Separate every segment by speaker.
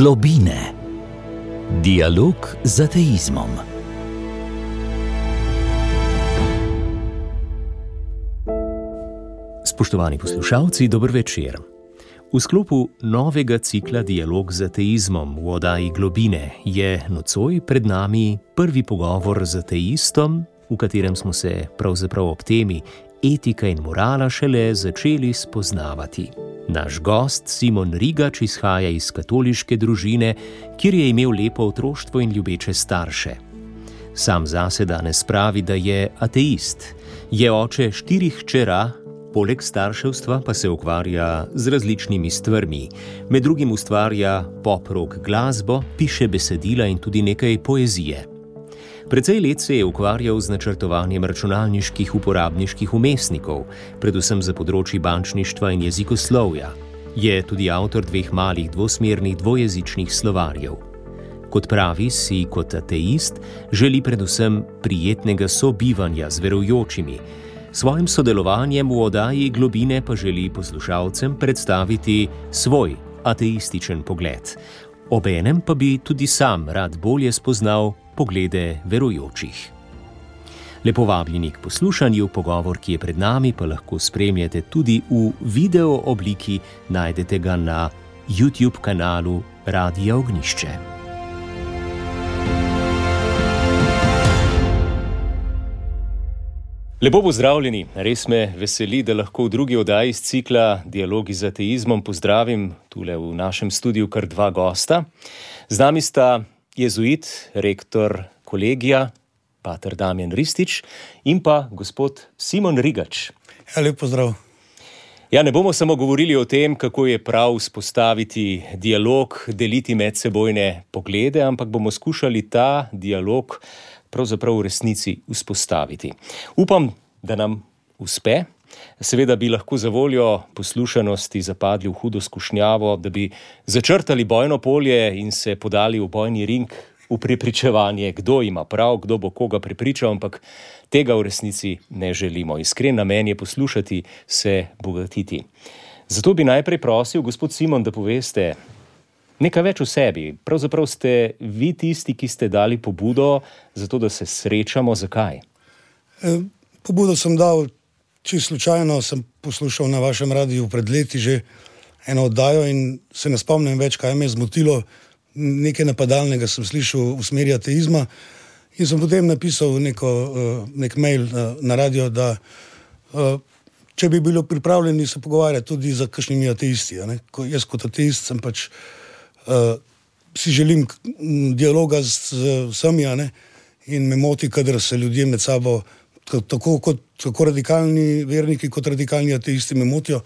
Speaker 1: Globine. Dialog z ateizmom. Spoštovani poslušalci, dober večer. V sklopu novega cikla Dialog z ateizmom v oddaji Globine je nocoj pred nami prvi pogovor z ateistom, v katerem smo se pravzaprav ob temi etika in morala šele začeli spoznavati. Naš gost Simon Rigač izhaja iz katoliške družine, kjer je imel lepo otroštvo in ljubeče starše. Sam zase danes pravi, da je ateist. Je oče 4 hčera, poleg starševstva pa se ukvarja z različnimi stvarmi. Med drugim ustvarja pop-rock glasbo, piše besedila in tudi nekaj poezije. Precej let se je ukvarjal z načrtovanjem računalniških uporabniških vmesnikov, predvsem za področji bančništva in jezikoslovja. Je tudi avtor 2 malih dvosmernih dvojezičnih slovarjev. Kot pravi, si kot ateist želi predvsem prijetnega sobivanja z verujočimi. Svojim sodelovanjem v oddaji Globine pa želi poslušalcem predstaviti svoj ateističen pogled. Obenem pa bi tudi sam rad bolje spoznal poglede verujočih. Lepo vabljeni k poslušanju, pogovor, ki je pred nami, pa lahko spremljate tudi v video obliki, najdete ga na YouTube kanalu Radia Ognjišče. Lepo pozdravljeni, res me veseli, da lahko v drugi oddaji iz cikla Dialogi z ateizmom pozdravim tule v našem studiu kar 2 gosta. Z nami sta jezuit, rektor kolegija, pater Damjan Ristič in pa gospod Simon Rigač.
Speaker 2: Ja, lep pozdrav.
Speaker 1: Ja, ne bomo samo govorili o tem, kako je prav vzpostaviti dialog, deliti medsebojne poglede, ampak bomo skušali ta dialog pravzaprav v resnici vzpostaviti. Upam, da nam uspe. Seveda bi lahko za voljo poslušanosti zapadli v hudo skušnjavo, da bi začrtali bojno polje in se podali v bojni ring v prepričevanje, kdo ima prav, kdo bo koga prepričal, ampak tega v resnici ne želimo. Iskren namen je poslušati, se bogatiti. Zato bi najprej prosil, gospod Simon, da poveste nekaj več o sebi. Pravzaprav ste vi tisti, ki ste dali pobudo za to, da se srečamo. Zakaj?
Speaker 2: Pobudo sem dal čisto slučajno, sem poslušal na vašem radiju pred leti že eno oddajo in se ne spomnim več, kaj me je zmotilo. Nekaj napadalnega sem slišal v smeri ateizma in sem potem napisal nek mail na radio, da če bi bilo pripravljeni se pogovarjati tudi za kakšnimi ateisti. Jaz kot ateist sem pač si želim dialoga z vsemi, in me moti, kadar se ljudje med sabo tako radikalni verniki kot radikalni ateisti me motijo.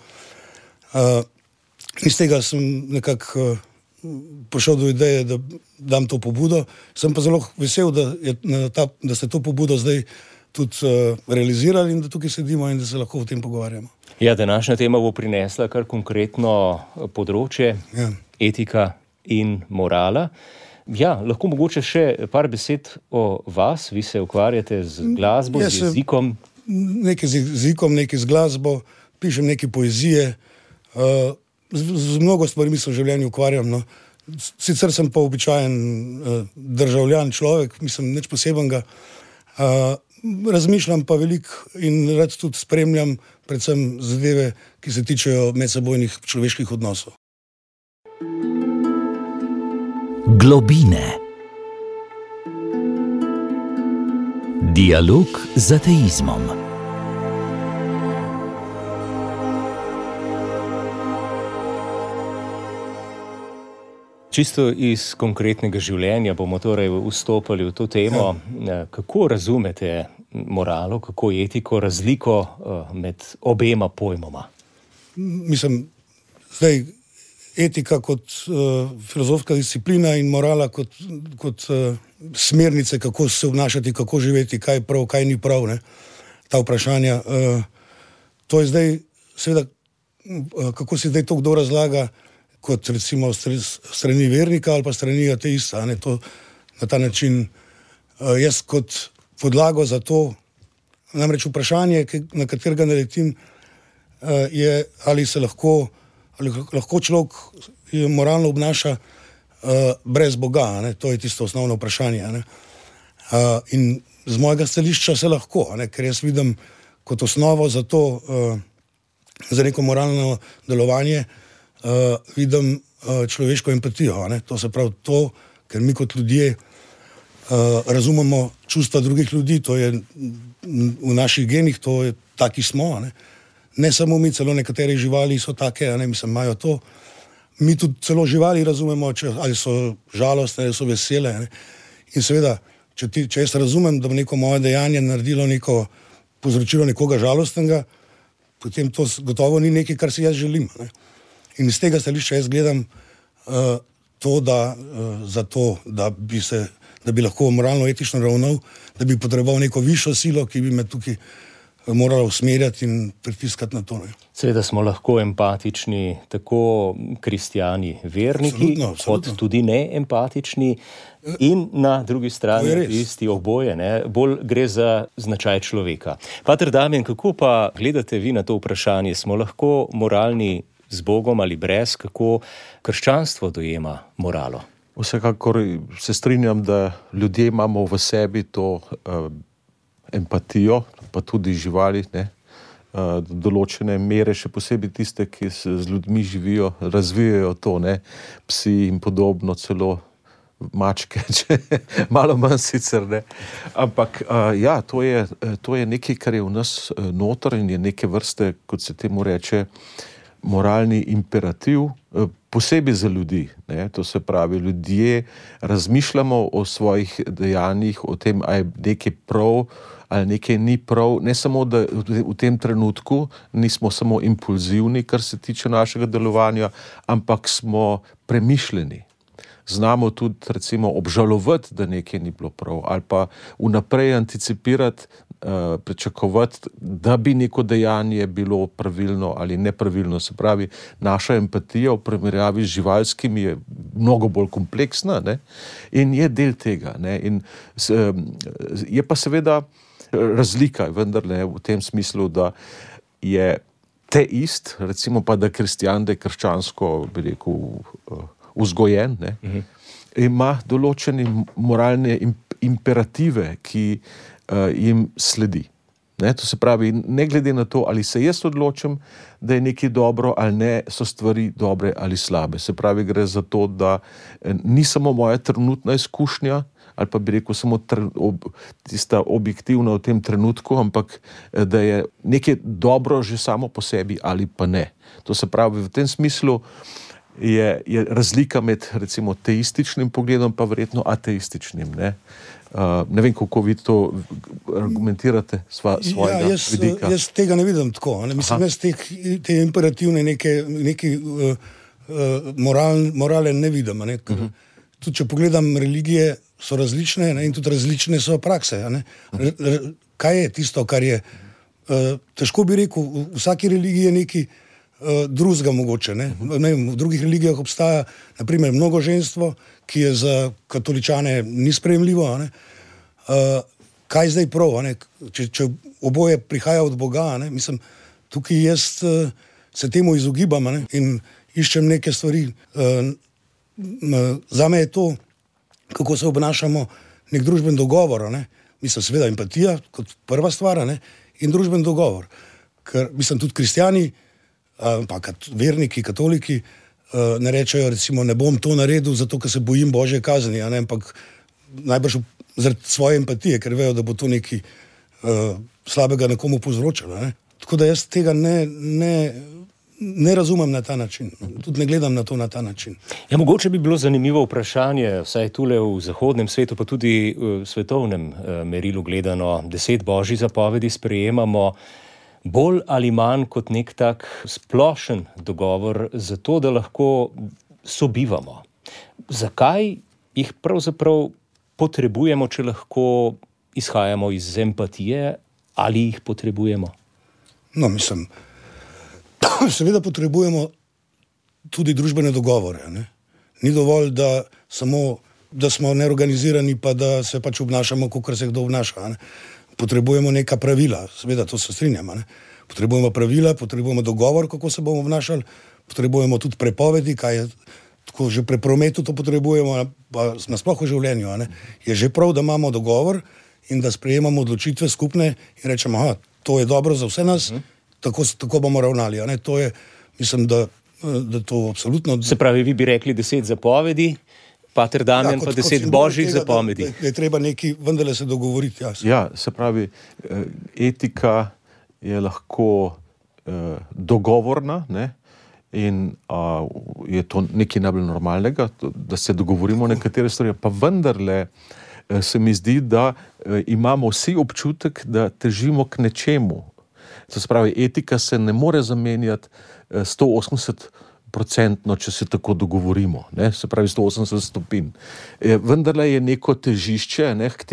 Speaker 2: Iz tega sem nekako prišel do ideje, da dam to pobudo. Sem pa zelo vesel, da ste to pobudo zdaj tudi realizirali in da tukaj sedimo in da se lahko o tem pogovarjamo.
Speaker 1: Ja, današnja tema bo prinesla kar konkretno področje, etika in morala. Ja, lahko mogoče še par besed o vas. Vi se ukvarjate z glasbo, z jezikom.
Speaker 2: Nekaj z jezikom, nekaj z glasbo, pišem nekaj poezije, z mnogo stvarmi se v življenju ukvarjam. Sicer sem pa običajen državljan človek, mislim, nič posebenega. Razmišljam pa veliko in rad tudi spremljam predvsem zadeve, ki se tičejo medsebojnih človeških odnosov.
Speaker 1: Globine. Dialog z ateizmom. Čisto iz konkretnega življenja bomo torej vstopali v to temo. Kako razumete moralo, kako etiko, razliko med obema pojmoma?
Speaker 2: Mislim, zdaj etika kot filozofska disciplina in morala kot smernice, kako se obnašati, kako živeti, kaj je prav, kaj ni prav, ta vprašanja. To je zdaj, seveda, kako si zdaj to kdo razlaga, kot recimo strani vernika ali pa strani ateista. To na ta način jaz kot podlago za to, namreč vprašanje, na katerega naletim, je, ali lahko človek moralno obnaša brez Boga, ne? To je tisto osnovno vprašanje. Ne? In z mojega stališča se lahko, ne? Ker jaz vidim kot osnovo za to, za neko moralno delovanje, vidim človeško empatijo. Ne? To se pravi to, ker mi kot ljudje razumemo čustva drugih ljudi, to je v naših genih, to je taki smo. Ne samo mi, celo nekatere živali so take, mislim, imajo to. Mi tudi celo živali razumemo, ali so žalostne, ali so vesele. Ne? In seveda, če jaz razumem, da bo neko moje dejanje naredilo povzročilo nekoga žalostnega, potem to gotovo ni nekaj, kar si jaz želim. Ne? In iz tega stališča jaz gledam to, da bi lahko moralno etično ravnal, da bi potreboval neko višjo silo, ki bi me tukaj morala usmerjati in pritiskati na to. Ne?
Speaker 1: Seveda smo lahko empatični, tako kristjani, verniki, absolutno. Kot tudi neempatični. In na drugi strani isti oboje, ne? Bolj gre za značaj človeka. Pater Damjan, kako pa gledate vi na to vprašanje? Smo lahko moralni z Bogom ali brez? Kako krščanstvo dojema moralo?
Speaker 3: Vsekakor se strinjam, da ljudje imamo v sebi to empatijo, pa tudi živali, ne? Določene mere, še posebej tiste, ki z ljudmi živijo, razvijajo to, ne? Psi in podobno, celo mačke, če malo manj sicer, ne. Ampak ja, to je nekaj, kar je v nas noter in je neke vrste, kot se temu reče, moralni imperativ, posebej za ljudi, ne. To se pravi, ljudje razmišljamo o svojih dejanjih, o tem, a je nekaj prav ali nekaj ni prav, ne samo, da v tem trenutku nismo samo impulzivni, kar se tiče našega delovanja, ampak smo premišljeni. Znamo tudi, recimo, obžalovati, da nekaj ni bilo prav, ali pa vnaprej anticipirati, pričakovati, da bi neko dejanje bilo pravilno ali nepravilno. Se pravi, naša empatija v primerjavi z živalskimi je mnogo bolj kompleksna, ne? In je del tega. Ne? In je pa seveda razlika, vendar ne v tem smislu, da je teist, recimo pa da kristjan, da je krščansko, bi rekel, vzgojen, ne, ima določene moralne imperative, ki jim sledi. Ne, to se pravi, ne glede na to, ali se jaz odločim, da je nekaj dobro ali ne, so stvari dobre ali slabe. Se pravi, gre za to, da ni samo moja trenutna izkušnja, ali pa bi rekel samo tista objektivna v tem trenutku, ampak da je nekaj dobro že samo po sebi ali pa ne. To se pravi, v tem smislu je razlika med recimo teističnim pogledom pa verjetno ateističnim. Ne, ne vem, kako vi to argumentirate svojega vidika.
Speaker 2: Jaz tega ne vidim tako. Ne? Mislim, jaz te imperativne neke morale ne vidim. Ne? Tudi če pogledam religije, so različne, ne? In tudi različne so prakse. Ne? Kaj je tisto, kar je težko bi rekel, v vsaki religiji je nekaj drugega mogoče. Ne? V drugih religijah obstaja naprimer mnogoženstvo, ki je za katoličane ni sprejemljivo. Ne? Kaj zdaj prav? Ne? Če oboje prihaja od Boga, ne? Mislim, tukaj jaz se temu izogibam, ne? In iščem neke stvari. Zame je to, kako se obnašamo, nek družben dogovor. Ne? Mislim, seveda empatija kot prva stvar, ne? In družben dogovor. Ker, mislim, tudi kristjani, pa verniki, katoliki, ne rečejo, recimo, ne bom to naredil, zato ker se bojim Božje kazni, ampak najbrž zaradi svoje empatije, ker vejo, da bo to nekaj slabega nekomu povzročalo. Ne? Tako da jaz tega ne razumem na ta način. Tudi ne gledam na to na ta način.
Speaker 1: Ja, mogoče bi bilo zanimivo vprašanje, vsaj tule v zahodnem svetu, pa tudi v svetovnem merilu gledano, 10 božjih zapovedi sprejemamo bolj ali manj kot nek tak splošen dogovor za to, da lahko sobivamo. Zakaj jih pravzaprav potrebujemo, če lahko izhajamo iz empatije, ali jih potrebujemo?
Speaker 2: No, mislim, seveda potrebujemo tudi družbene dogovore. Ne? Ni dovolj, da smo neorganizirani, pa da se pač obnašamo, kakor se kdo obnaša. Ne? Potrebujemo neka pravila, seveda to se strinjamo. Ne? Potrebujemo pravila, potrebujemo dogovor, kako se bomo obnašali, potrebujemo tudi prepovedi, kaj je tako že pri prometu to potrebujemo, pa nasploh v življenju, je že prav, da imamo dogovor in da sprejemamo odločitve skupne in rečemo, to je dobro za vse nas, tako bomo ravnali. To je, mislim, da to absolutno...
Speaker 1: Se pravi, vi bi rekli 10 zapovedi, pater Damjan pa 10 božjih zapovedi.
Speaker 2: Da je treba nekaj vendarle se dogovoriti.
Speaker 3: Ja, se pravi, etika je lahko dogovorna, ne? In je to nekaj najbolj normalnega, da se dogovorimo nekatere stvari, pa vendarle se mi zdi, da imamo vsi občutek, da težimo k nečemu. To se pravi, etika se ne more zamenjati 180%, če se tako dogovorimo, ne? Se pravi 180 stopinj. Vendarle je neko težišče, ne, k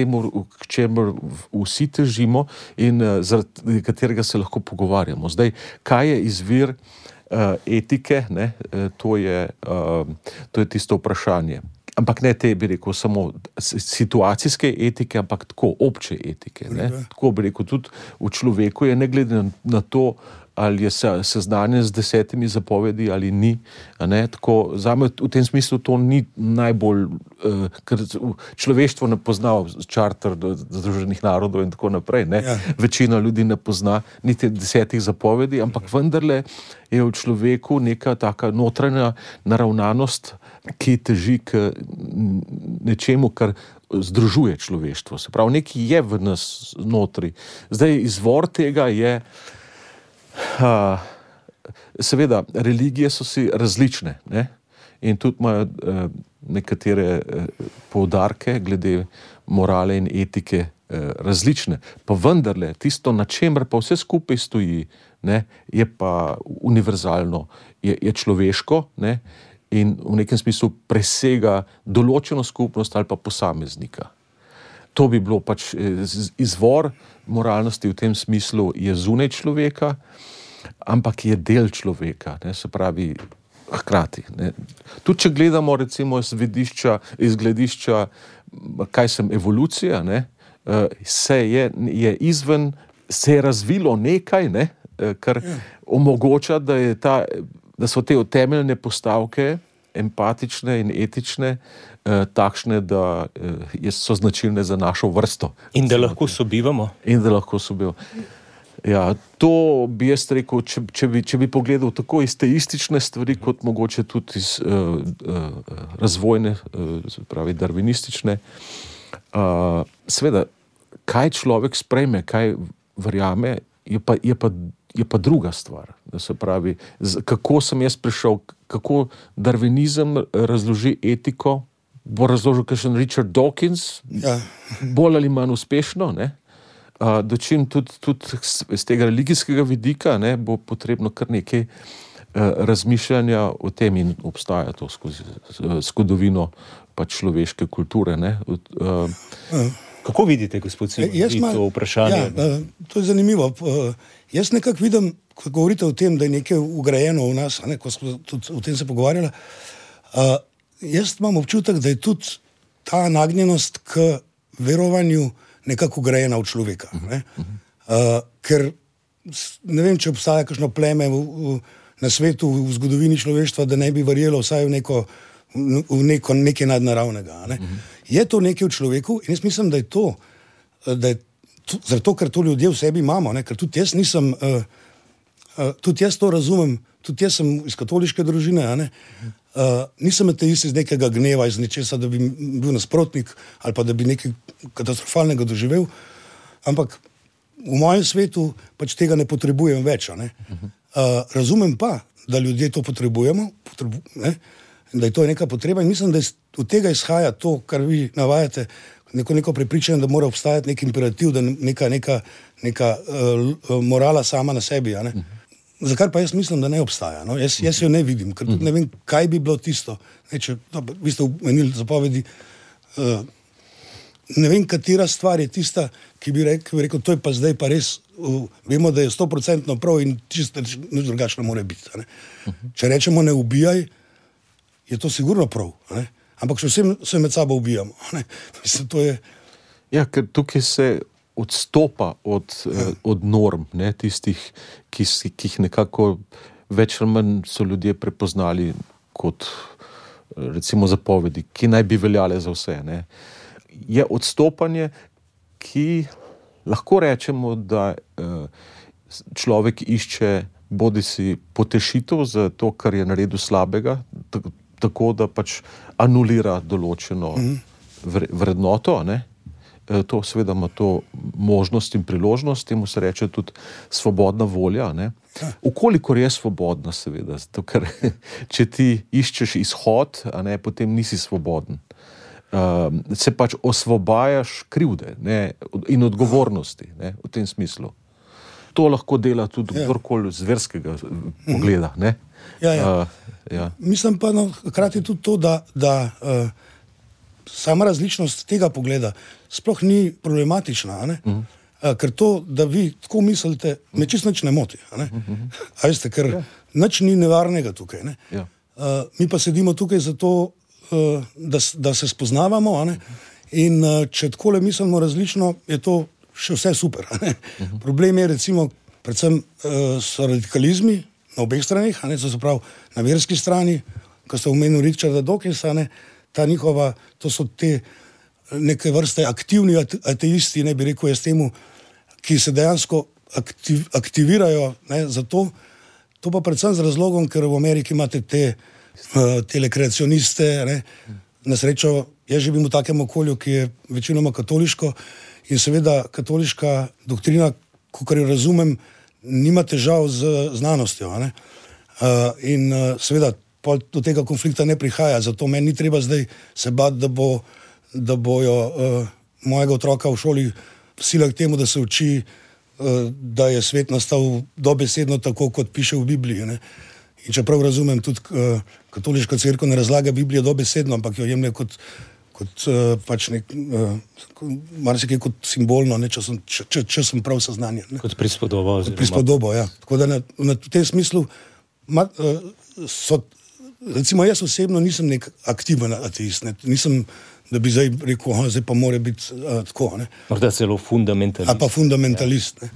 Speaker 3: čemu vsi težimo in zaradi katerega se lahko pogovarjamo. Zdaj, kaj je izvir etike, ne? To je tisto vprašanje. Ampak ne te, bi rekel, samo situacijske etike, ampak tako obče etike. Ne? Tako bi rekel, tudi v človeku je, ne glede na to, ali je seznanjen z 10 zapovedi ali ni. Ne? Tako, zame v tem smislu to ni najbolj, ker človeštvo ne pozna čarter Združenih narodov in tako naprej. Ne? Ja. Večina ljudi ne pozna niti 10 zapovedi, ampak vendarle je v človeku neka taka notranja naravnanost, ki teži k nečemu, kar združuje človeštvo. Se pravi, nekaj je v nas notri. Zdaj, izvor tega je, seveda, religije so si različne, ne? In tudi imajo nekatere poudarke glede morale in etike različne. Pa vendarle, tisto, na čemer pa vse skupaj stoji, ne, je pa univerzalno, je človeško, ne, in v nekem smislu presega določeno skupnost ali pa posameznika. To bi bilo pač izvor moralnosti v tem smislu je zunaj človeka, ampak je del človeka, ne, se pravi hkrati. Ne. Tudi če gledamo recimo iz gledišča, kaj sem evolucija, ne, se je razvilo nekaj, ne, kar omogoča, da so te temeljne postavke empatične in etične takšne, da so značilne za našo vrsto.
Speaker 1: In da lahko sobivamo.
Speaker 3: Ja, to bi jaz rekel, če bi pogledal tako iz teistične stvari, kot mogoče tudi iz razvojne, pravi darwinistične. Seveda, kaj človek sprejme, kaj verjame, je pa druga stvar. Da se pravi, kako sem jaz prišel, kako darwinizem razloži etiko, bo razložil kakšen Richard Dawkins, bolj ali manj uspešno, ne? Dočim tudi z tega religijskega vidika, ne, bo potrebno kar nekaj razmišljanja o tem in obstaja to skozi zgodovino pač človeške kulture, ne.
Speaker 1: Kako vidite, gospod Simon, to vprašanje?
Speaker 2: Ja, to je zanimivo. Jaz nekako vidim, ko govorite o tem, da je nekaj ugrajeno v nas, ne, ko smo tudi o tem se pogovarjali, jaz imam občutek, da je tudi ta nagnjenost k verovanju nekako ugrajena v človeka. Ne? Ker ne vem, če obstaja kakšno pleme na svetu, v zgodovini človeštva, da ne bi verjelo vsaj v nekaj nadnaravnega. Ne? Je to nekaj v človeku in jaz mislim, da je to, zato ker to ljudje v sebi imamo, ne? Ker tudi jaz nisem, tudi jaz to razumem, tudi jaz sem iz katoliške družine, ne? Nisem ateist iz nekega gneva, iz nečesa, da bi bil nasprotnik ali pa da bi nekaj katastrofalnega doživel, ampak v mojem svetu pač tega ne potrebujem več. Ne? Razumem pa, da ljudje to potrebujemo, ne? Da je to neka potreba in mislim, da od tega izhaja to, kar vi navajate, neko prepričanje, da mora obstajati nek imperativ, da neka morala sama na sebi. Ne? Zakaj pa jaz mislim, da ne obstaja? No? Jaz jo ne vidim, ker tudi ne vem, kaj bi bilo tisto. Vi ste omenili zapovedi, ne vem, katera stvar je tista, ki bi rekel, to je pa zdaj pa res, vemo, da je 100% prav in čisto nič drugačno mora biti. Ne? Če rečemo ne ubijaj, je to sigurno prav, ne? Ampak še vsem se med sabo ubijamo. Ne? Mislim, to je...
Speaker 3: Ja, ker tukaj se odstopa od norm, ne, tistih, ki jih nekako več ali manj so ljudje prepoznali kot recimo zapovedi, ki naj bi veljale za vse, ne, je odstopanje, ki lahko rečemo, da človek išče bodisi potešitev za to, kar je naredil slabega, tako da pač anulira določeno vrednoto, ne. To seveda ima to možnost in priložnost, temu se reče tudi svobodna volja, ne. Ukolikor je svobodna, seveda, zato ker če ti iščeš izhod, a ne, potem nisi svoboden. Se pač osvobajaš krivde, ne, in odgovornosti, ne, v tem smislu. To lahko dela tudi kdorkoli z verskega pogleda, ne.
Speaker 2: Ja. Mislim pa hkrati tudi to, da sama različnost tega pogleda sploh ni problematična, ne? Ker to, da vi tako mislite, me čisto nič ne moti. A veste, ker nič ni nevarnega tukaj. Ne? Mi pa sedimo tukaj zato, da se spoznavamo, a ne? In če takole mislimo različno, je to še vse super. A ne? Problem je recimo, predvsem so radikalizmi na obeh stranih, a ne? To se pravi na verski strani, ko ste omenili Richarda Dawkinsa, ne? Ta njihova, to so te neke vrste aktivni ateisti, ne bi rekel jaz temu, ki se dejansko aktivirajo, ne, za to. To pa predvsem z razlogom, ker v Ameriki imate te telekreacioniste, ne. Na srečo, jaz živim v takem okolju, ki je večinoma katoliško in seveda katoliška doktrina, kakor jo razumem, nima težav z znanostjo, a ne. In seveda do tega konflikta ne prihaja, zato meni ni treba zdaj se bati, da bojo mojega otroka v šoli sila k temu, da se uči, da je svet nastal dobesedno tako, kot piše v Bibliji. Ne? In čeprav razumem, tudi katoliška cerkev ne razlaga Biblije dobesedno, ampak jo jemlje kot pač marsikaj kot simbolno, ne, če sem prav seznanjen.
Speaker 1: Kot prispodobo.
Speaker 2: Kot prispodobo, ja. Tako da v tem smislu recimo jaz osebno nisem nek aktiven ateist, ne? Nisem, da bi zdaj rekel, zdaj pa mora biti tako. Ne?
Speaker 1: Morda celo fundamentalist.
Speaker 2: A pa fundamentalist. Ne?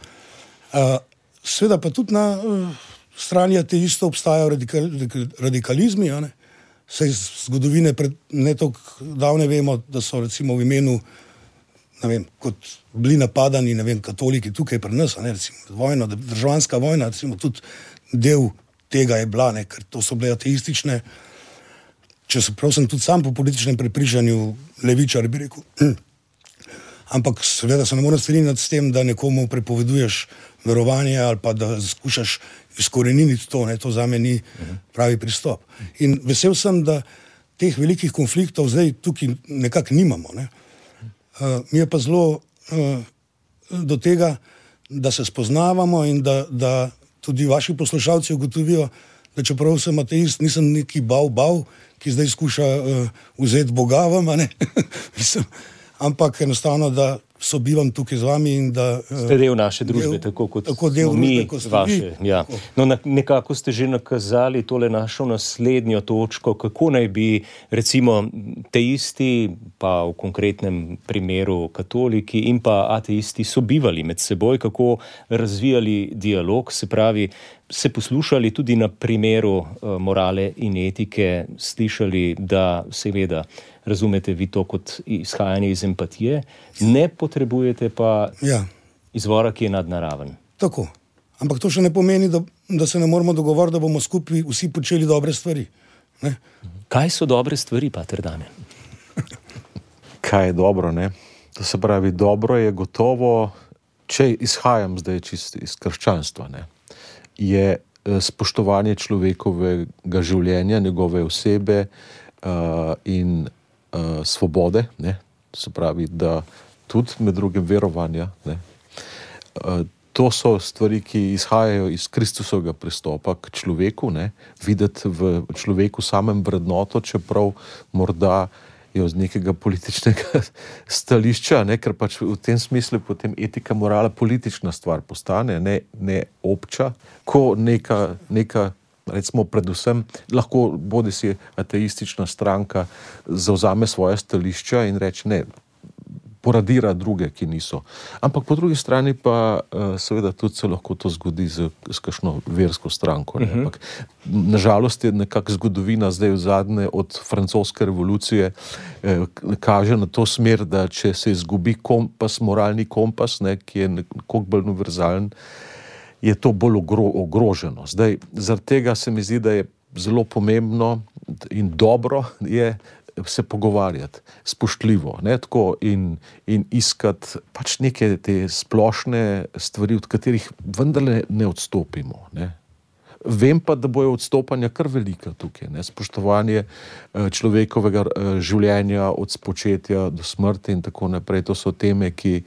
Speaker 2: Seveda pa tudi na strani ateistov obstajajo radikalizmi, a ne? Saj iz zgodovine ne toliko davne vemo, da so recimo v imenu, ne vem, kot bili napadani, ne vem, katoliki tukaj pri nas, a ne, recimo vojna, državljanska vojna, recimo tudi del tega je bila, ne, ker to so bile ateistične, čeprav sem tudi sam po političnem prepričanju levičar, bi rekel. Ampak seveda se ne morem strinjati s tem, da nekomu prepoveduješ verovanje ali pa da skušaš izkoreniniti to, ne, to zame ni pravi pristop. In vesel sem, da teh velikih konfliktov zdaj tukaj nekako nimamo. Ne. Mi je pa zelo do tega, da se spoznavamo in da tudi vaši poslušalci ugotovijo, da čeprav sem ateist, nisem neki bav, ki zdaj skuša vzeti Boga vam, ne? Ampak enostavno, da sobivam tukaj z vami in da...
Speaker 1: Ste del naše družbe, tako kot smo mi vaše. Ja. No, nekako ste že nakazali tole našo naslednjo točko, kako naj bi recimo teisti, pa v konkretnem primeru katoliki in pa ateisti sobivali med seboj, kako razvijali dialog, se pravi, se poslušali tudi na primeru morale in etike, slišali, da seveda razumete vi to kot izhajanje iz empatije, ne potrebujete pa izvora, ki je nadnaraven.
Speaker 2: Tako. Ampak to še ne pomeni, da se ne moramo dogovoriti, da bomo skupaj vsi počeli dobre stvari. Ne?
Speaker 1: Kaj so dobre stvari, pater Damjan?
Speaker 3: Kaj je dobro, ne? To se pravi, dobro je gotovo, če izhajam zdaj čisto iz krščanstva, ne? Je spoštovanje človekovega življenja, njegove osebe in svobode, ne? Se pravi, da tudi med drugim verovanja, ne? To so stvari, ki izhajajo iz Kristusovega pristopa k človeku, ne? Videti v človeku samem vrednoto, čeprav morda je z nekega političnega stališča, ne? Ker pač v tem smislu potem etika, morala politična stvar postane, ne obča, ko neka recimo predvsem lahko bodisi ateistična stranka zavzame svoje stališča in reče, ne, poradira druge, ki niso. Ampak po drugi strani pa seveda tudi se lahko to zgodi s kakšno versko stranko. Ne? Ampak nažalost je nekako zgodovina zdaj v zadnje od francoske revolucije kaže na to smer, da če se izgubi kompas, moralni kompas, ne, ki je nekoliko bolj univerzalen, je to bolj ogroženo. Zdaj, zaradi tega se mi zdi, da je zelo pomembno in dobro je se pogovarjati spoštljivo, ne, tako in iskati pač neke te splošne stvari, od katerih vendarle ne odstopimo, ne. Vem pa, da bojo odstopanja kar velika tukaj, ne, spoštovanje človekovega življenja od spočetja do smrti in tako naprej. To so teme, ki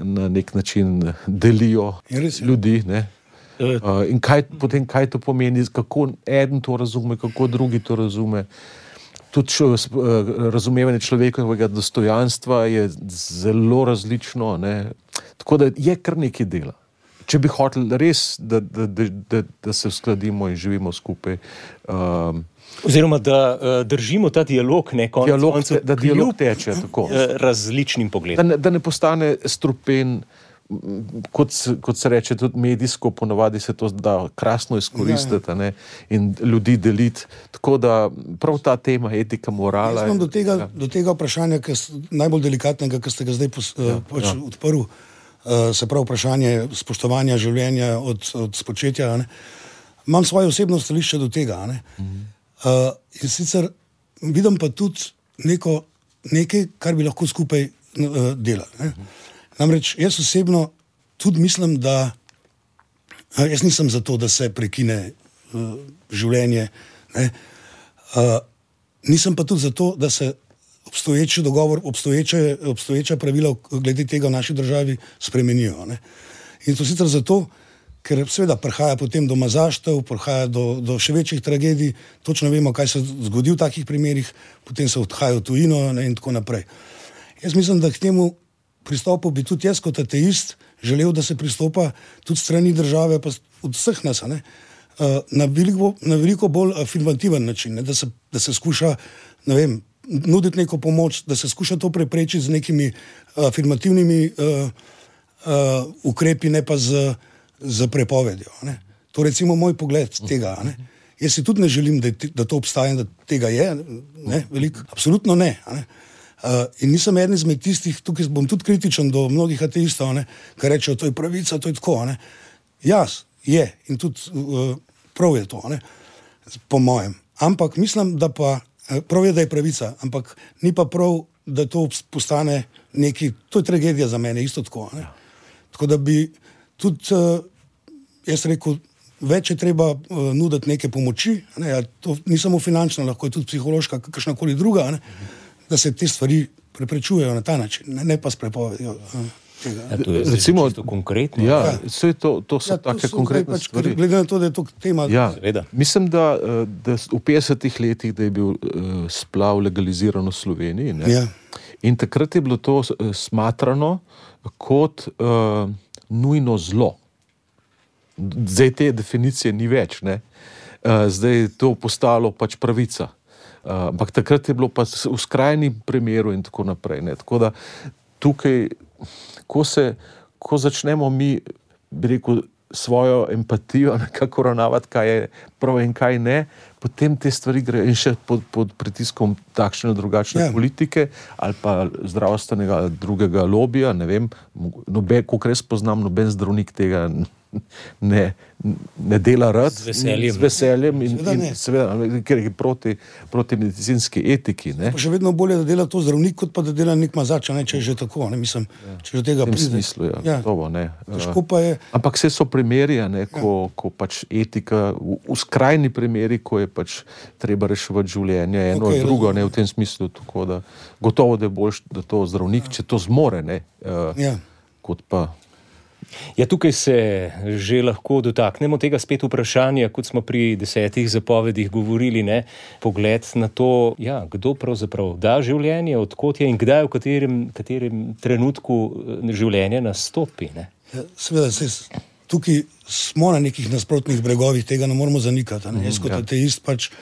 Speaker 3: na nek način delijo ljudi, ne. In potem kaj to pomeni, kako eden to razume, kako drugi to razume. Tudi razumevanje človekovega dostojanstva je zelo različno, ne. Tako da je kar nekaj dela. Če bi hoteli res, da se uskladimo in živimo skupaj.
Speaker 1: Oziroma, da držimo ta dialog, ne, koncev,
Speaker 3: da dialog teče, tako.
Speaker 1: Različnim pogledom.
Speaker 3: Da ne postane strupen, kot se reče, tudi medijsko, ponavadi se to da krasno izkoristiti, ne, in ljudi deliti. Tako da prav ta tema etika, morala.
Speaker 2: Jaz imam do tega vprašanja, najbolj delikatnega, ki ste ga zdaj odprl, se pravi vprašanje spoštovanja življenja od spočetja, ne. Imam svoje osebno stališče do tega, ne. In sicer vidim pa tudi nekaj, kar bi lahko skupaj delali, ne. Namreč jaz osebno tudi mislim, da jaz nisem za to, da se prekine življenje, ne. Nisem pa tudi za to, da se obstoječi dogovor, obstoječa pravila glede tega v naši državi spremenijo, ne. In to sicer zato, ker seveda prihaja potem do mazaštev, prihaja do še večjih tragedij, točno vemo, kaj se zgodi v takih primerih, potem se odhaja v tujino, ne, in tako naprej. Jaz mislim, da k temu pristopu bi tudi jaz kot ateist želel, da se pristopa tudi strani države, pa od vseh nas, ne, na veliko bolj afirmativen način, ne, da se skuša, ne vem, nuditi neko pomoč, da se skuša to preprečiti z nekimi afirmativnimi ukrepi, ne pa z prepovedjo, ne. To recimo moj pogled tega, ne. Jaz si tudi ne želim, da to obstaja in da tega je, ne, veliko, absolutno ne, ne. In nisem eden izmed tistih, tukaj bom tudi kritičen do mnogih ateistov, ne, ki rečejo, to je pravica, to je tako, ne. Jaz je in tudi prav je to, ne, po mojem. Ampak mislim, da pa prav je, da je pravica, ampak ni pa prav, da to postane neki, to je tragedija za mene, isto tako, ne. Tako da bi tudi, jaz rekel, več je treba nuditi neke pomoči, ne, to ni samo finančna, lahko je tudi psihološka, kakršnakoli druga, ne, da se te stvari preprečujejo na ta način, ne pa s prepovedjo tega.
Speaker 1: Ja, to je recimo čisto konkretno.
Speaker 3: Ja, vse to so take konkretne stvari.
Speaker 2: Glede na to, da je to tema.
Speaker 3: Ja, mislim, da v 50-ih letih, da je bil splav legaliziran v Sloveniji, ne?
Speaker 2: Ja.
Speaker 3: In takrat je bilo to smatrano kot nujno zlo. Zdaj te definicije ni več, ne? Zdaj je to postalo pač pravica. Ampak takrat je bilo pa v skrajnem primeru in tako naprej, ne. Tako da tukaj, ko začnemo mi, bi rekel, svojo empatijo nekako ravnavati, kaj je prav in kaj ne, potem te stvari gre in še pod pritiskom takšne drugačne politike ali pa zdravstvenega drugega lobija, ne vem, kolikor jaz poznam, noben zdravnik tega ne dela rad. Z veseljem in seveda, ker je proti medicinski etiki, ne.
Speaker 2: Pa še vedno bolje, da dela to zdravnik, kot pa da dela nek mazač, ne, če je že tako, ne, mislim, če že tega pride.
Speaker 3: V tem smislu, ja, gotovo, ne.
Speaker 2: Težko pa je.
Speaker 3: Ampak vse so primeri, ne, ko pač etika, v skrajni primeri, ko je pač treba reševati življenje, eno in drugo, ne, v tem smislu, tako da gotovo, da je boljše, da to zdravnik, če to zmore, ne, kot pa.
Speaker 1: Ja, tukaj se že lahko dotaknemo tega spet vprašanja, kot smo pri 10 zapovedih govorili, ne, pogled na to, ja, kdo pravzaprav da življenje, odkot je in kdaj, v katerem trenutku življenje nastopi, ne.
Speaker 2: Ja, seveda, tukaj smo na nekih nasprotnih bregovih, tega ne moramo zanikati, ne. Jaz kot ateist pač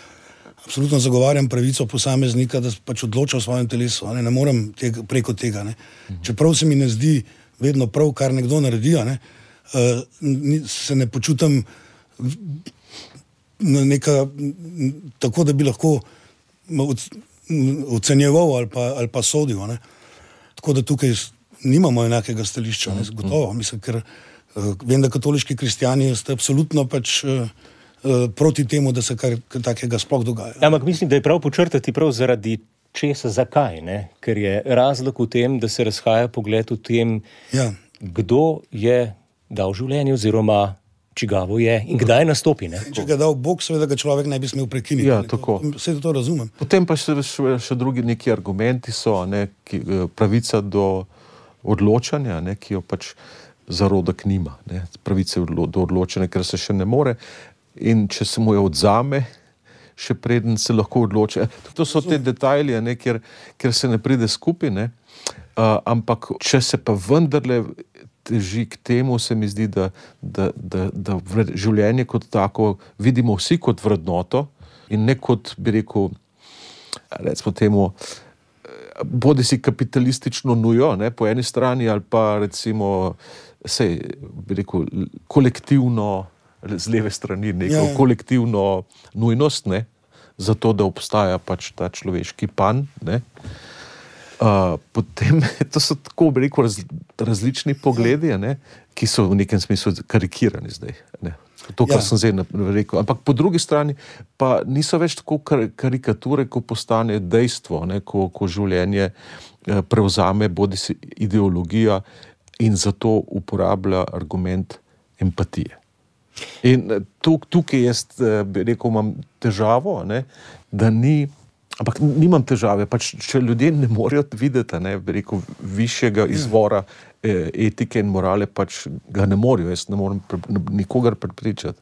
Speaker 2: absolutno zagovarjam pravico posameznika, da pač odloča o svojem telesu, ne morem preko tega. Ne. Čeprav se mi ne zdi vedno prav, kar nekdo naredi, ne, se ne počutim tako, da bi lahko ocenjeval ali pa sodil. Ne. Tako da tukaj nimamo enakega stališča, ne, gotovo. Mislim, ker vem, da katoliški kristjani ste absolutno pač proti temu, da se kar takega sploh dogaja.
Speaker 1: Ampak mislim, da je prav počrtati prav zaradi česa, zakaj, ne? Ker je razlog v tem, da se razhaja pogled v tem, kdo je dal življenje oziroma čigavo je in kdaj nastopi. Ne?
Speaker 2: Če ga je dal Bog, seveda ga človek ne bi smel prekiniti.
Speaker 3: Ja, tako.
Speaker 2: Vse to razumem.
Speaker 3: Potem pa še drugi neki argumenti so, ne, pravica do odločanja, ne, ki jo pač zarodek nima. Ne, pravice do odločanja, ker se še ne more. In če se mu jo odzame, še preden se lahko odloči. To so te detajli, ne, kjer se ne pride skupaj, ne. Ampak če se pa vendarle teži k temu, se mi zdi, da življenje kot tako vidimo vsi kot vrednoto in ne kot, bi rekel, recimo temu, bodi si kapitalistično nujo, ne, po eni strani, ali pa recimo, bi rekel, kolektivno, z leve strani, neko kolektivno nujnost, ne, zato, da obstaja pač ta človeški pan, ne. Potem, to so tako, bi rekel, različni pogledi, ne, ki so v nekem smislu karikirani zdaj, ne. To, kar sem zdaj rekel. Ampak po drugi strani pa niso več tako karikature, ko postane dejstvo, ne, ko življenje prevzame bodisi ideologija in zato uporablja argument empatije. In tukaj jaz, bi rekel, imam težavo, ne, da ni, ampak nimam težave, pač če ljudje ne morejo videti, ne, bi rekel, višjega izvora etike in morale, pač ga ne morejo, jaz ne morem nikogar prepričati.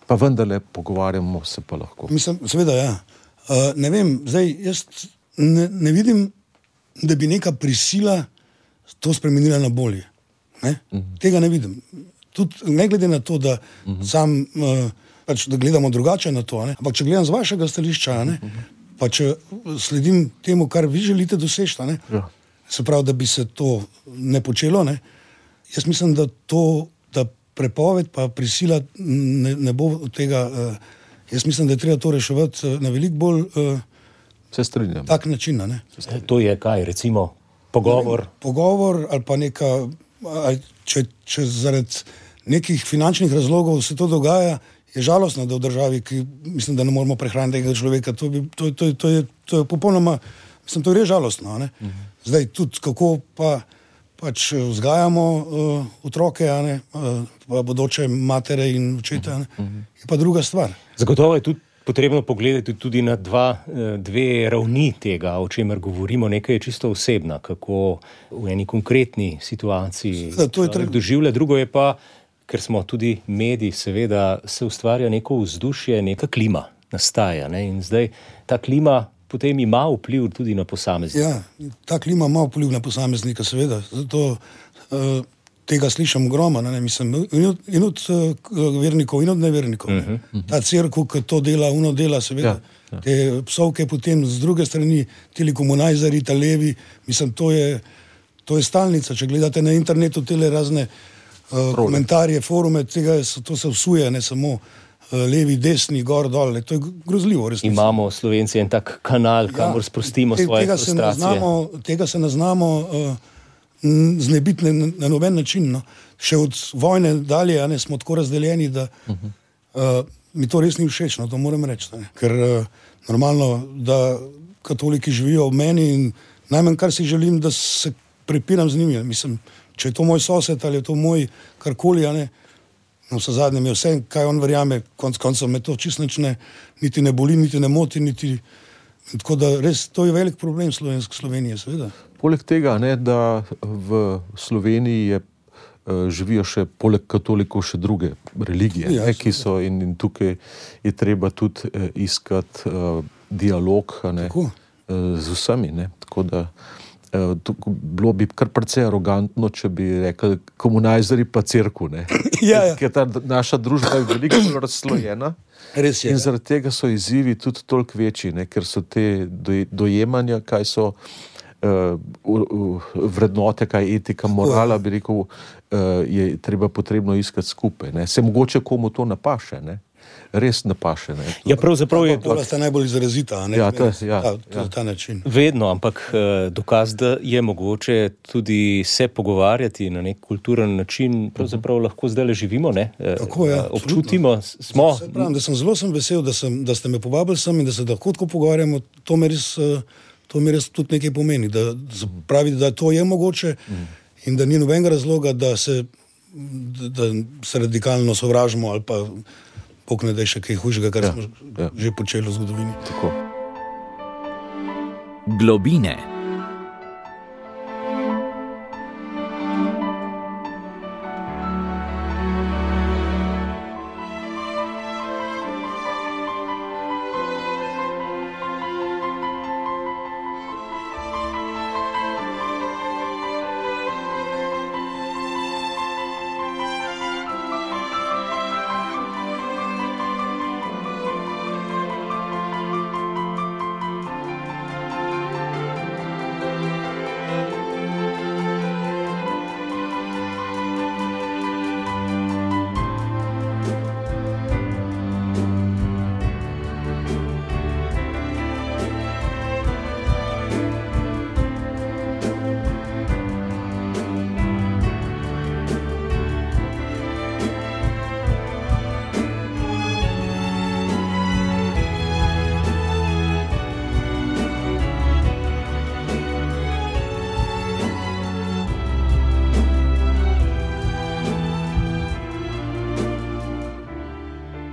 Speaker 3: Pa vendarle pogovarjamo se pa lahko.
Speaker 2: Mislim, seveda, ja. Ne vem, zdaj, jaz ne vidim, da bi neka prisila to spremenila na bolje. Ne? Tega ne vidim. Tudi ne glede na to, da sam, pač, da gledamo drugače na to, ne? Ampak če gledam z vašega stališča, ne? Pa če sledim temu, kar vi želite doseči, ne? Se pravi, da bi se to ne počelo, ne? Jaz mislim, da prepoved pa prisila ne bo od tega, jaz mislim, da je treba to reševati na veliko bolj
Speaker 3: se strinjam.
Speaker 2: Tak način, ne?
Speaker 1: To je kaj, recimo, pogovor?
Speaker 2: Pogovor ali pa neka, če zaradi nekih finančnih razlogov se to dogaja, je žalostno, da v državi, ki mislim, da ne moramo prehraniti tega človeka, to je popolnoma, mislim, to je res žalostno, ne? Zdaj tudi, kako pač vzgajamo otroke, ne? Pa bodoče matere in očete, ne? Je pa druga stvar.
Speaker 1: Zagotovo je tudi potrebno pogledati tudi na dve ravni tega, o čemer govorimo. Nekaj je čisto osebna, kako v eni konkretni situaciji doživlja, drugo je pa, ker smo tudi mediji, seveda se ustvarja neko vzdušje, neka klima nastaja, ne? In zdaj ta klima potem ima vpliv tudi na posameznika.
Speaker 2: Ja, ta klima ima vpliv na posameznika, seveda. Zato tega slišam ogromno, ne, mislim, in od vernikov, in od nevernikov. Ta cerkev, ki to dela, dela, seveda. Te psovke potem z druge strani, telekomunajzeri, ta levi, mislim, to je stalnica. Če gledate na internetu tele razne komentarje, forume, to se vsuje, ne samo levi, desni, gor, dol, to je grozljivo. Resnici.
Speaker 1: Imamo Slovenci en tak kanal, kamor sprostimo svoje frustracije.
Speaker 2: Tega se ne znamo znebiti na noben način. No. Še od vojne dalje, ne, smo tako razdeljeni, da mi to res ni všeč, no, to moram reči. Ne. Ker normalno, da katoliki živijo v meni in najmanj, kar si želim, da se prepiram z njimi. Mislim, če je to moj sosed ali je to moj karkoli, ne, no, vse zadnje mi je vse, kaj on verjame, konca me to čisto niti ne boli, niti ne moti, tako da res to je velik problem Slovenije, seveda.
Speaker 3: Poleg tega, ne, da v Sloveniji živijo še poleg katolikov še druge religije, ne, ki so in tukaj je treba tudi iskati dialog, ne, z vsemi, ne, tako da bilo bi kar precej arogantno, če bi rekli komunajzeri pa cerkev, ne. Ker ta naša družba je veliko razslojena.
Speaker 2: Res je.
Speaker 3: In zaradi tega so izzivi tudi toliko večji, ne, ker so te dojemanja, kaj so vrednote, kaj je etika, morala, bi rekel, je potrebno iskati skupaj. Ne. Se mogoče komu to napaše, ne. Res napaše. Ne.
Speaker 1: Ja, pravzaprav je...
Speaker 2: Pola sta najbolj izrazita, ne? Ta način.
Speaker 1: Vedno, ampak dokaz, da je mogoče tudi se pogovarjati na nek kulturen način, pravzaprav lahko zdaj le živimo, ne?
Speaker 2: Tako, ja.
Speaker 1: Občutimo, smo...
Speaker 2: Pravim, da sem zelo vesel, da ste me povabili sem in da se lahko tako pogovarjamo, to mi res tudi nekaj pomeni, da pravi, da to je mogoče in da ni nobenega razloga, da se radikalno sovražimo ali pa pokne, da je še kaj hujšega, kar smo že počeli v zgodovini.
Speaker 3: Tako.
Speaker 4: Globine.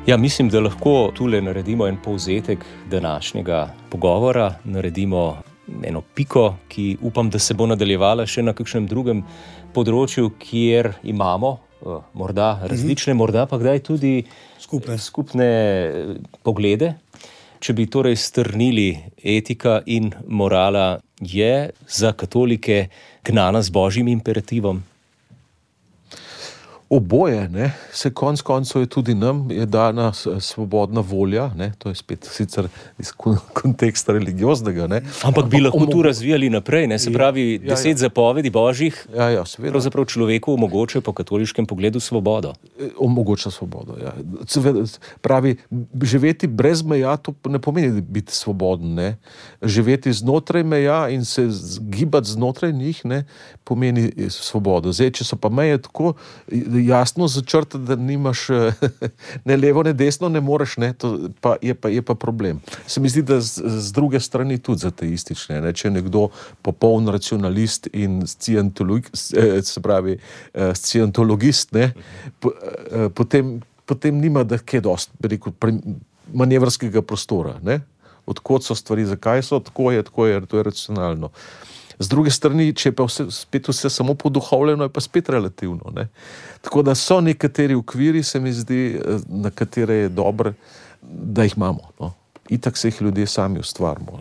Speaker 1: Ja, mislim, da lahko tule naredimo en povzetek današnjega pogovora, naredimo eno piko, ki upam, da se bo nadaljevala še na kakšnem drugem področju, kjer imamo morda različne, morda pa kdaj tudi skupne poglede. Če bi torej strnili, etika in morala je za katolike gnana z božjim imperativom?
Speaker 3: Oboje, ne, se konec koncev je tudi nam je dana svobodna volja, ne, to je spet sicer iz konteksta religioznega, ne.
Speaker 1: Ampak bi lahko tu razvijali naprej, ne, se pravi 10 zapovedi božjih, pravzaprav človeku omogoča po katoliškem pogledu svobodo.
Speaker 3: Omogoča svobodo, ja. Pravi, živeti brez meja, to ne pomeni biti svoboden, ne. Živeti znotraj meja in se gibati znotraj njih, ne, pomeni svobodo. Zdaj, če so pa meje tako jasno začrtati, da nimaš ne levo, ne desno, ne moreš, ne, to je pa problem. Se mi zdi, da z druge strani tudi ateistične, ne, če je nekdo popoln racionalist in scientologist, ne, potem nima da kaj dosti, bi rekel, manevrskega prostora, ne. Odkot so stvari, zakaj so, tako je, to je racionalno. Z druge strani, če je pa spet vse samo poduhovljeno, je pa spet relativno, ne. Tako da so nekateri okviri, se mi zdi, na katere je dobro, da jih imamo, no. Itak se jih ljudje sami ustvarimo,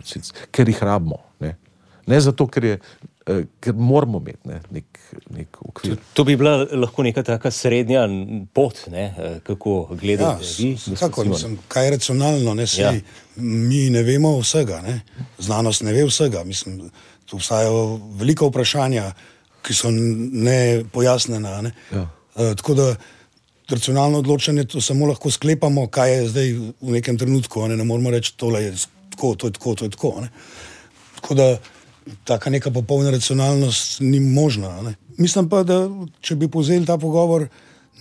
Speaker 3: ker jih rabimo, ne. Ne zato, ker moramo imeti, ne, nek okvir.
Speaker 1: To bi bila lahko neka taka srednja pot, ne, kako gledate vi?
Speaker 2: Kako, mislim, kaj je racionalno, ne, sej, mi ne vemo vsega, ne. Znanost ne ve vsega, mislim, tu obstajajo velika vprašanja, ki so nepojasnjena, ne. Tako da racionalno odločanje to samo lahko sklepamo, kaj je zdaj v nekem trenutku, ne moramo reči, tole je tako, to je tako, ne. Tako da taka neka popolna racionalnost ni možna, ne. Mislim pa, da če bi povzeli ta pogovor,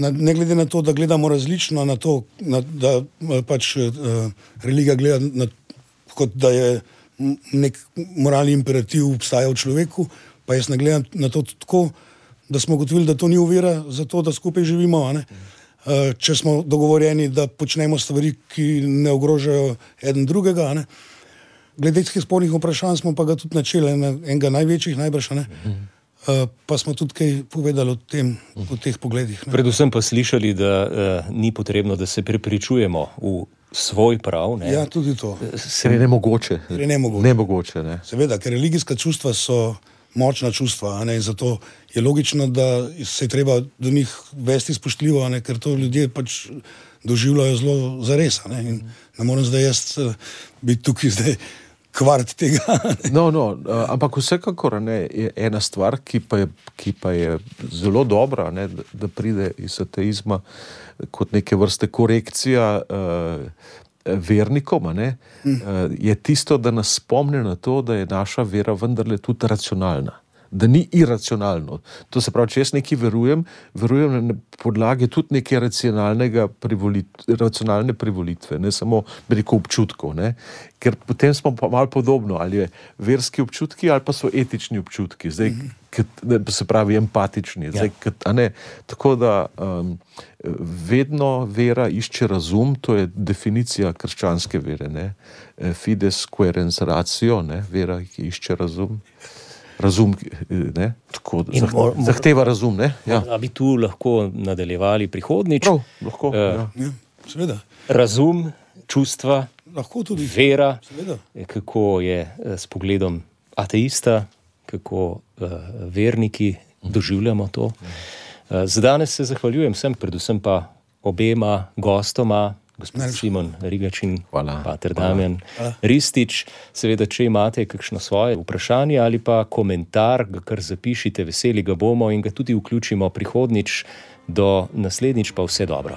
Speaker 2: ne glede na to, da gledamo različno na to, da pač religija gleda kot da je nek moralni imperativ obstaja v človeku, pa jaz ne gledam na to tako, da smo ugotovili, da to ni ovira za to, da skupaj živimo, ne. Če smo dogovorjeni, da počnemo stvari, ki ne ogrožajo eden drugega, ne. Glede teh spornih vprašanj smo pa ga tudi načeli, enega največjih najbrž, ne. Pa smo tudi kaj povedali o teh pogledih, ne.
Speaker 1: Predvsem pa slišali, da ni potrebno, da se prepričujemo v svoj prav, ne.
Speaker 2: Ja, tudi to.
Speaker 3: Ker je nemogoče.
Speaker 2: Nemogoče, ne.
Speaker 3: Ne.
Speaker 2: Seveda, ker religijska čustva so močna čustva, a ne, in zato je logično, da se je treba do njih vesti spoštljivo, a ne, ker to ljudje pač doživljajo zelo zares, a ne, in ne morem zdaj jaz biti tukaj zdaj kvart tega.
Speaker 3: Ampak vsekakor je ena stvar, ki pa je zelo dobra, da pride iz ateizma kot neke vrste korekcija vernikom, je tisto, da nas spomne na to, da je naša vera vendarle tudi racionalna. Da ni iracionalno. To se pravi, če jaz nekaj verujem na podlagi tudi neke racionalne privolitve, ne samo veliko občutkov, ne? Ker potem smo pa malo podobno, ali je verski občutki ali pa so etični občutki, zdaj, se pravi empatični. Zdaj, tako da vedno vera išče razum, to je definicija krščanske vere, ne? Fides quaerens ratio, ne? Vera, ki išče razum. Razum, ne? Tako, zahteva razum, ne? Ja.
Speaker 1: A bi tu lahko nadaljevali prihodnjič?
Speaker 3: Prav, lahko,
Speaker 2: seveda.
Speaker 1: Razum, čustva,
Speaker 2: lahko tudi
Speaker 1: vera,
Speaker 2: seveda.
Speaker 1: Kako je s pogledom ateista, kako verniki doživljamo to. Za danes se zahvaljujem vsem, predvsem pa obema gostoma, gospod Simon Rigačin, pater Damjan Ristič. Seveda, če imate kakšno svoje vprašanje ali pa komentar, ga kar zapišite, veseli ga bomo in ga tudi vključimo prihodnič. Do naslednjič pa vse dobro.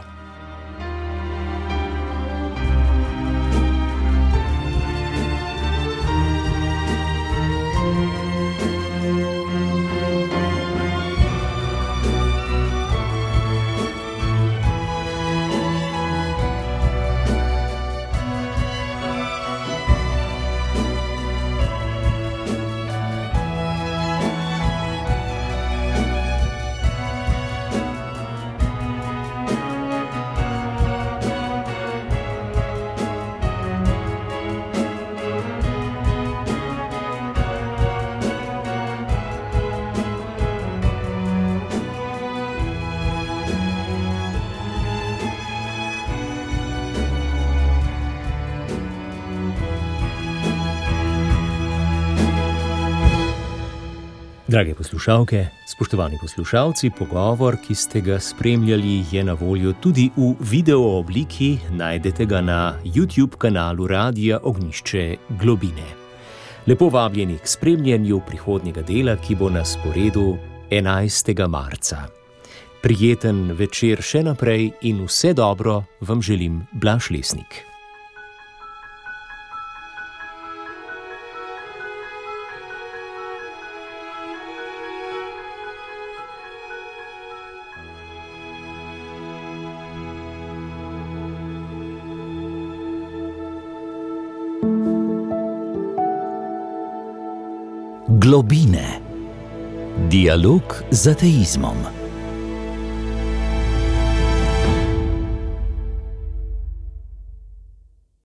Speaker 1: Drage poslušalke, spoštovani poslušalci, pogovor, ki ste ga spremljali, je na voljo tudi v video obliki, najdete ga na YouTube kanalu Radia Ognjišče Globine. Lepo vabljeni k spremljanju prihodnjega dela, ki bo na sporedu 11. marca. Prijeten večer še naprej in vse dobro vam želim Blaž Lesnik.
Speaker 4: Globine. Dialog z ateizmom.